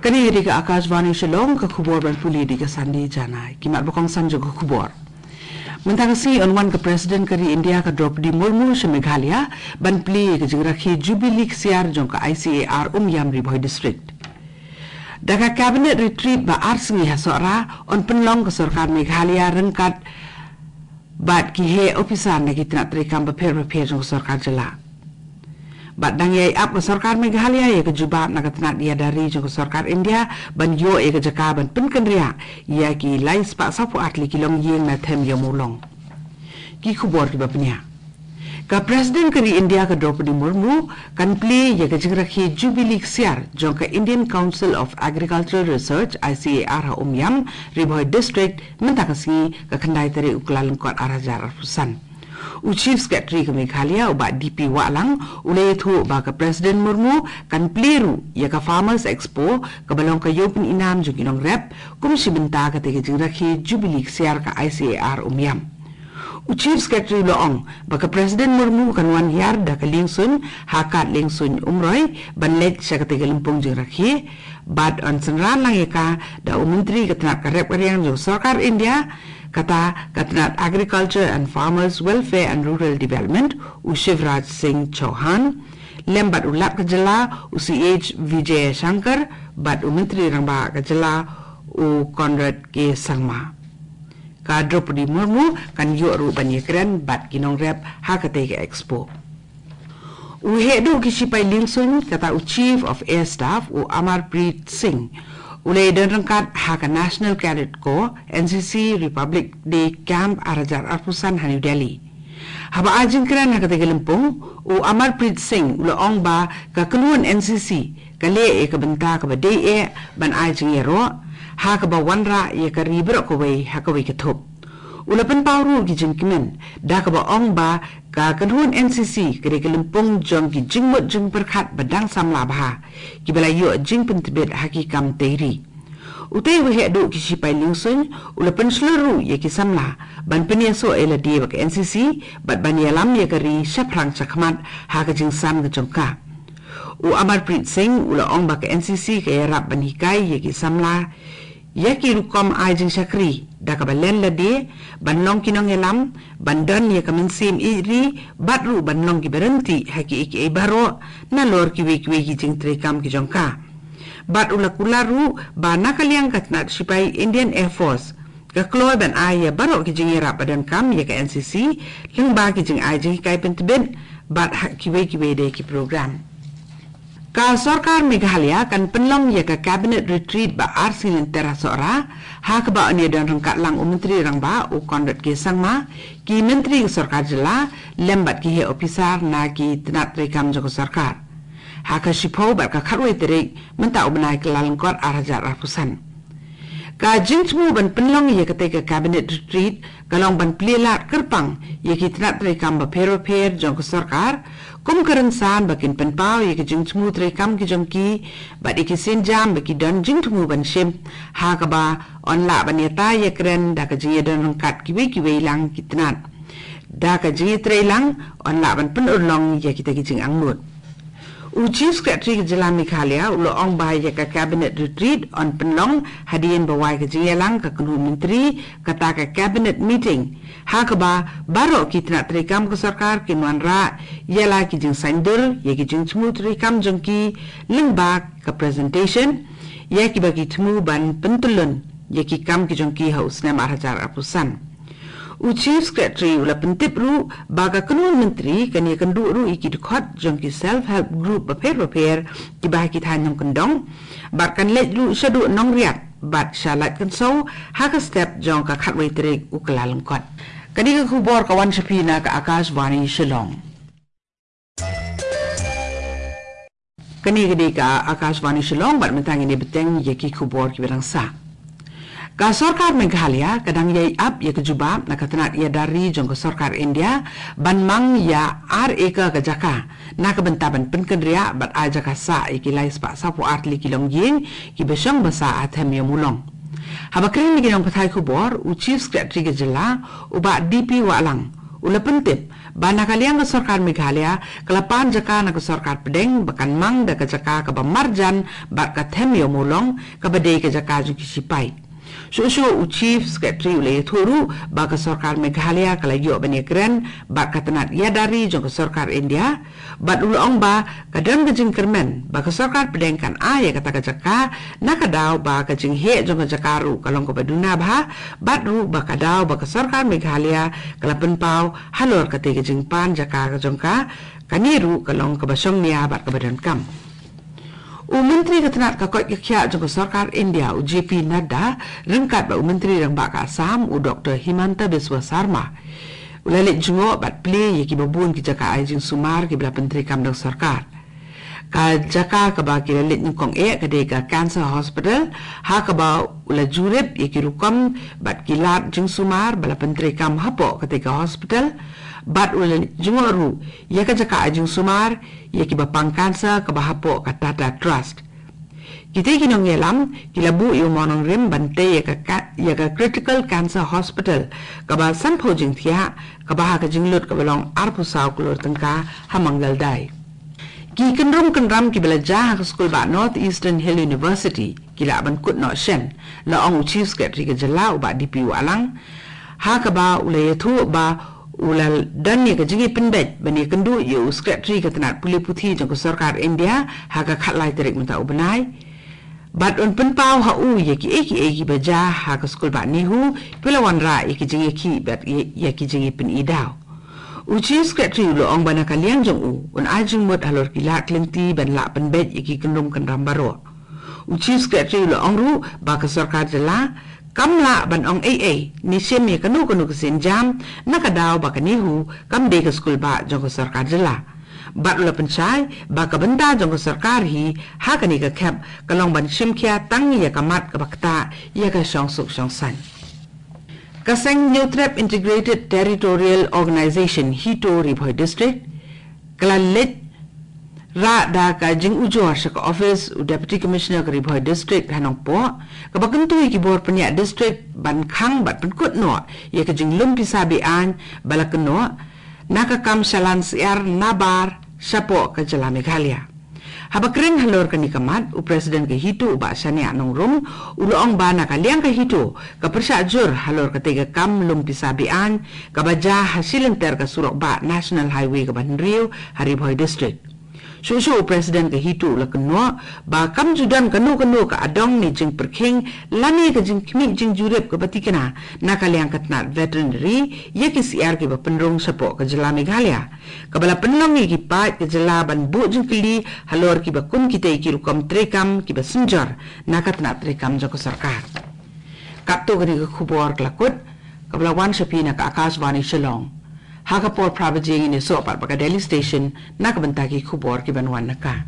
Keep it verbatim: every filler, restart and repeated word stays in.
Kane ka dei ka Akashvani Shillong, ka khubor ban pule da ka Sandy Jana. Ki mat ba kongsan jong ka khubor. Mynta ka sngi yn wan ka President ka ri India ka Droupadi Murmu sha Meghalaya ban plie ïa ka jingrakhe Jubilee Ksiar jong ka I C A R Umiam, Ri Bhoi District. Da ka Cabinet Retreat ba ar sngi ha Sohra yn pynlong ka sorkar Meghalaya ryngkat bad ki heh ophisar na ki tnat treikam bapher bapher jong ka sorkar jylla. Bad dang ïai ap ka sorkar Meghalaya ïa ka jubab na ka tnat ïada ri jong ka sorkar India ban ïoh ïa ka jaka ban pynkynriah ïa ki lai spah sawphew ar tylli ki longïing na Them Ïew Mawlong. Ki khubor kiba pynïaid. Ka President ka ri India ka Droupadi Murmu kan plie ïa ka jingrakhe Jubilee Ksiar jong ka Indian Council of Agricultural Research, I C A R, ha Umiam, Ri Bhoi District, mynta ka sngi ka khyndai tarik u Kyllalyngkot ar hajar arphew san. U Chief Secretary ka Meghalaya u Bah D P Wahlang u la ïathuh ba ka President Murmu kan plie ruh ïa ka Farmers Expo kaba long ka ïew pynïainam jong ki nongrep kum shi bynta kata ka jingrakhe Jubilee Ksiar ka I C A R Umiam. U Chief Secretary u la ong ba ka President Murmu kan wan hiar da ka liengsuiñ ha kad liengsuiñ Umroi ban leit sha kata ka lympung jingrakhe, bad yn synran lang ïa ka da u Myntri ka tnat ka rep ka riang jong ka sorkar India, kata ka tnat Agriculture and Farmers Welfare and Rural Development, u Shivraj Singh Chouhan, lem bad u Lat ka jylla u C H Vijayashankar bad u Myntri Rangbah ka jylla u Conrad K Sangma. Ka Droupadi Murmu kan ïoh ruh ban ïakren bad ki nongrep ha katei ka expo. U heh duh ki shipai liengsuiñ, kata u Chief of Air Staff u Amarpreet Singh, u la ïadon ryngkat ha ka National Cadet Corps, N C C, Republic Day Camp ar hajar arphew san ha New Delhi. Haba ai jingkren ha katei ka lympung, u Amarpreet Singh u la ong ba ka kynhun N C C ka leh ïa ka bynta kaba dei eh ban ai jingïaroh ha kaba wanrah ïa ka ri baroh kawei ha kawei ka thup. U la pynpaw ruh ki jingkmen da kaba ong ba ka kynhun N C C ka dei ka lympung jong ki jingmut jingpyrkhat ba dang samla bha, kiba la ïoh jingpyntbit ha ki kam tei ri. Utei u heh duh ki shipai liengsuiñ u la pynshlur ruh ïa ki samla ban pynïasoh ïa lade bad ka N C C bad ban ïalam ïa ka ri shaphrang shakhmat ha ka jingsan ka jong ka. U Amarpreet Singh u la ong ba ka N C C ka ïarap ban hikai ïa ki samla ïa ki rukom ai jingshakri da kaba len lade, ban long ki nongïalam, ban don ïa ka mynsiem ïeit ri bad ruh ban long kiba ryntih ha kiei kiei baroh nalor kiwei kiwei ki jingtreikam ki jong ka. Bad u la kular ruh ba na ka liang ka tnat shipai Indian Air Force ka kloi ban ai ïa baroh ki jingïarap ba donkam ïa ka N C C lyngba ki jingai jinghikai pyntbit bad ha kiwei kiwei de ki program. Ka sorkar Meghalaya kan pynlong ïa ka Cabinet Retreat ba ar sngi lynter ha Sohra, ha kaba yn ïadon ryngkat lang u Myntri Rangbah u Conrad K Sangma, ki myntri ka sorkar jylla lem bad ki heh ophisar na ki tnat treikam jong ka sorkar. Ha ka shiphew bad ka khatwei tarik mynta u bnai Kyllalyngkot ar hajar arphew san. Ka jingthmu ban pynlong ïa katei ka Cabinet Retreat ka long ban plie lad kyrpang ïa ki tnat treikam bapher bapher jong ka sorkar kum ka rynsan ba kin pynpaw ïa ki jingthmu treikam ki jong ki bad ïa ki sienjam ba ki don jingthmu ban shim, ha kaba yn lah ban ïatai ïakren da ka jingïadon ryngkat kiwei kiwei lang ki tnat. Da ka jingïatreilang yn lah ban pynurlong ïa kita ki jingangnud. U Chief Secretary ka jylla Meghalaya u la ong ba ïa ka Cabinet Retreat yn pynlong hadien ba wai ka jingïalang ka kynhun myntri, kata ka Cabinet Meeting, ha kaba baroh ki tnat treikam ka sorkar kin wanrah ïa la ki jingsaiñdur ïa ki jingthmu treikam jong ki lyngba ka presentation ïa kiba ki thmu ban pyntyllun ïa ki kam ki jong ki ha u snem ar hajar arphew san. U Chief Secretary u la pyntip ruh ba ka kynhun myntri kan ïakynduh ruh ïa ki dkhot jong ki self help group bapher bapher kiba ha ki thaiñ nongkyndong bad kan leit ruh shaduh Nongriat bad sha Laitkynsew ha ka step jong ka khatwei tarik u Kyllalyngkot. Kane ka khubor ka wan sha phi na ka Akashvani Shillong. Kane ka dei ka Akashvani Shillong bad mynta ngin ïa bteng ïa ki khubor kiba dang sah. Ka sorkar Meghalaya ka dang ïai ap ïa ka jubab na ka tnat ïada ri jong ka sorkar India ban mang ïa ar acre ka jaka na ka bynta ban pynkynriah bad ai jaka sah ïa ki lai spah sawphew ar tylli ki longïing kiba shong ba sah ha Them Ïew Mawlong. Haba kren bad ki nongpathai khubor, u Chief Secretary ka jylla u Bah D P Wahlang u la pyntip Ba na ka liang ka sorkar Meghalaya ka la pan jaka na ka sorkar pdeng ba kan mang da ka jaka kaba marjan bad ka them ïa u Mawlong kaba dei ka jaka jong ki sipai. Shuh shuh u Chief Secretary u la ïathuh ruh ba ka sorkar Meghalaya ka la ïoh ban ïakren bad ka tnat ïada ri jong ka sorkar India, bad u la ong ba ka don ka jingkyrmen ba ka sorkar pdeng kan ai ïa kata ka jaka, na ka daw ba ka jingheh jong ka jaka ruh ka long kaba duna bha, bad ruh ba ka daw ba ka sorkar Meghalaya ka la pynpaw halor kata ka jingpan jaka ka jong ka, kane ruh ka long kaba shongnia bad kaba donkam. U Myntri ka tnat ka koit ka khiah jong ka sorkar India, u J P Nadda, ryngkat bad u Myntri Rangbah ka Assam, u Doktor Himanta Biswa Sarma, u la leit jngoh bad plie ïa kiba bun ki jaka ai jingsumar kiba la pyntreikam da ka sorkar. Ka jaka kaba ki la leit nyngkong eh ka dei ka Cancer Hospital, ha kaba u la jurip ïa ki rukom bad ki lad jingsumar ba la pyntreikam hapoh kata ka hospital, bad u la leit jngoh ruh ïa ka jaka ai jingsumar ïa kiba pang cancer kaba hapoh ka Tata Trust. Kita ki nongïalam ki la buh ïa u mawnongrim ban tei ïa ka, ka, ïa ka Critical Cancer Hospital kaba sanphew jingthiah, kaba ha ka jinglut kaba long arphew saw klur tyngka ha Mangal Dai. Ki kynrum kynram kiba la jia ha ka skul bah North Eastern Hill University ki lah ban kut noh shen, la ong u Chief Secretary ka jylla u bah D P Wahlang, ha kaba u la ïathuh ba u la don ïa ka jingïapynbeit ban ïakynduh ïa u Secretary ka tnat pule puthi jong ka sorkar India ha ka khatlai tarik mynta u bnai. Bad un pynpaw ha u ïa kiei kiei kiba jia ha ka skul bah NEHU, phi la wanrah ïa ki jingïakhih bad ïa, ïa ki jingïapyni daw. U Chief Secretary u la ong ba na ka liang jong u un ai jingmut halor ki lad ki lynti ban lah pynbeit ïa ki kynrum kynram baroh. U Chief Secretary u la ong ruh ba ka sorkar jylla kam lah ban ong ei ei ne shim ïa kano kano ka sienjam, na ka daw ba ka NEHU kam dei ka skul bah jong ka sorkar jylla. Bad u la pynshai ba ka bynta jong ka sorkar hi ha kane ka khep ka long ban shim khia tang ïa ka mat kaba ktah ïa ka shongsuk shongsaiñ. Ka seng Hynñiewtrep Integrated Territorial Organization, HITO, Ri Bhoi District ka la leit rah da ka jingujor sha ka office u Deputy Commissioner ka Ri Bhoi District ha Nongpoh, kaba kyntu ïa ki bor pynïaid district ban khang bad pynkut noh ïa ka jinglum pisa be-aiñ ba la kynnoh na ka kam shalan syiar nabar shapoh ka jylla Meghalaya. Haba kren halor kane ka mat, u President ka HITO u bah Shaniah Nongrum u la ong ba na ka liang ka HITO ka pyrshah jur halor katei ka kam lum pisa be-aiñ kaba jia ha shilynter ka surok bah National Highway kaba hynriew ha Ri Bhoi District. Shuh shuh u President ka HITO u la kynnoh ba kam ju don kano kano ka adong ne jingpyrkhing lane ka jingkhmih jingjurip kaba thikna na ka liang ka tnat veterinary ïa ki syiar kiba pynrung shapoh ka jylla Meghalaya, kaba la pynlong ïa ki paid ka jylla ban buh jingkylli halor kiba kum kitei ki rukom treikam kiba synjor na ka tnat treikam jong ka sorkar. Katto katne ka khubor ka la kut, kaba la wan sha phi na ka Akashvani Shillong. Ha ka por phra baje ngin ïasoh pat bad ka Delhi Station na ka bynta ki khubor kiban wan na ka